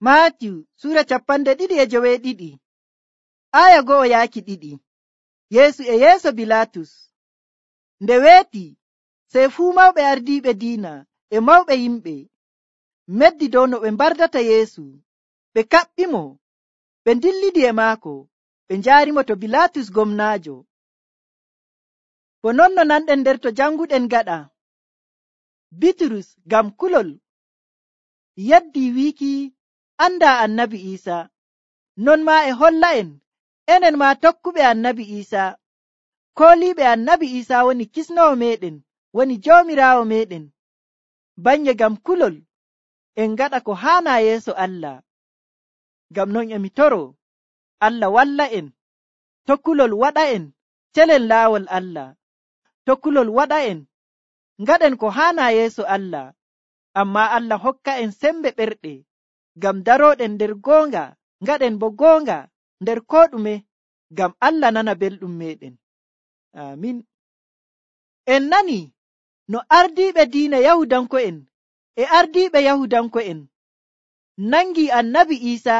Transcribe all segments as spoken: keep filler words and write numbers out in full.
Maatiyu Sura capanɗe ɗiɗi e joweeɗiɗi aya go'o yaaki ɗiɗi. Yeesu e yeeso Bilatus. Nde weeti, sey fuu mawɓe ardiiɓe diina e mawɓe yimɓe meddi dow no ɓe mbardata Yeesu. Ɓe kaɓɓimo, ɓe ndillidi e maako, ɓe njaarimo to Bilatus gomnaajo. Bo non no nanɗen nder to janguɗen gaɗa, Bitrus ngam kulol yaddi wiiki andaa annabi Iisa. Non maa e holla'en enen maa tokkuɓe annabi Iisa, kooliiɓe annabi Iisa woni kisnowo meeɗen, woni joomiraawo meeɗen. Bannye ngam kulol en ngaɗa ko haanaa yeeso Allah. Ngam non e mi toroo Allah walla'en, to kulol waɗa'en celen laawol Allah, to kulol waɗa'en ngaɗen ko haanaa yeeso Allah. Ammaa Allah hokka en sembe ɓerɗe ngam darooɗen nder goonga, ngaɗen bo goonga nder koo ɗume, ngam Allah nana belɗum meeɗen. Aamin. En nani no ardiiɓe diina Yahudanko'en e ardiiɓe Yahudanko'en nangi annabi Iisa,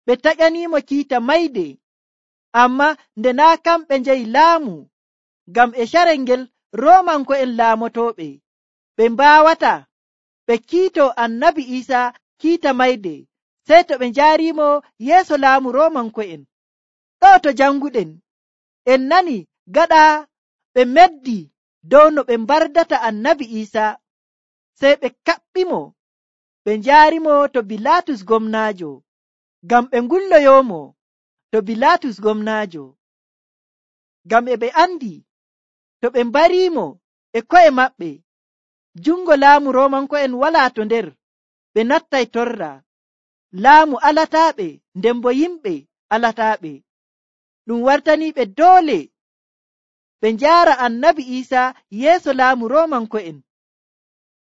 ɓe taƴaniimo kiita mayde, ammaa nde naa kamɓe njehi laamu, ngam e carel ngel Roomanko'en laamotooɓe, ɓe mbaawata ɓe kiitoo annabi Iisa kiita mayde, sey to ɓe njaariimo yeeso laamu Roomanko'en. Ɗo to janguɗen, en nani gaɗa ɓe meddi dow no ɓe mbardata annabi Iisa, sey ɓe kaɓɓimo, ɓe njaarimo to Bilatus gomnaajo, ngam ɓe ngulloyoomo to Bilatus gomnaajo. Ngam e ɓe andi to ɓe mbariimo e ko'e maɓɓe, jungo laamu Roomanko'en walaa to nder, ɓe nattay torra. Laamu alataaɓe, nden bo yimɓe alataaɓe. Ɗum wartaniiɓe doole ɓe njaara annabi Iisa yeeso laamu Roomanko'en,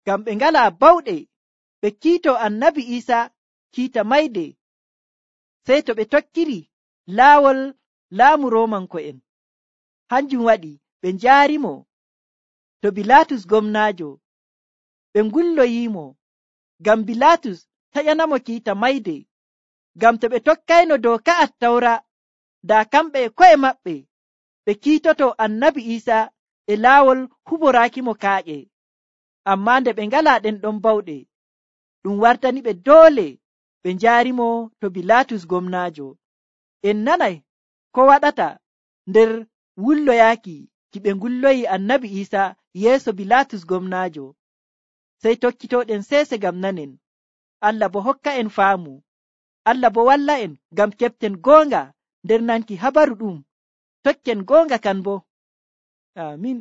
ngam ɓe ngalaa bawɗe ɓe kiitoo annabi Iisa kiita mayde, sey to ɓe tokkiri laawol laamu Roomanko'en. Hanjum waɗi ɓe njaarimo to Bilatus gomnaajo, ɓe ngulloyiimo, ngam Bilatus taƴanamo kiita mayde, ngam to ɓe tokkayno dooka Attawra, daa kamɓe e ko'e maɓɓe ɓe kiitoto annabi Iisa e laawol huboraakimo kaaƴe. Ammaa nde ɓe ngalaa ɗen ɗon bawɗe, ɗum wartani ɓe doole ɓe njaarimo to Bilatus gomnaajo. En nanay ko waɗata nder wulloyaaki ki ɓe ngulloyi annabi Iisa yeeso Bilatus gomnaajo. Sey tokkitooɗen seese ngam nanen. Allah bo hokka en faamu. Allah bo walla en ngam keɓten goonga nder nanki habaru ɗum. Tokken goonga kan bo. Aamin.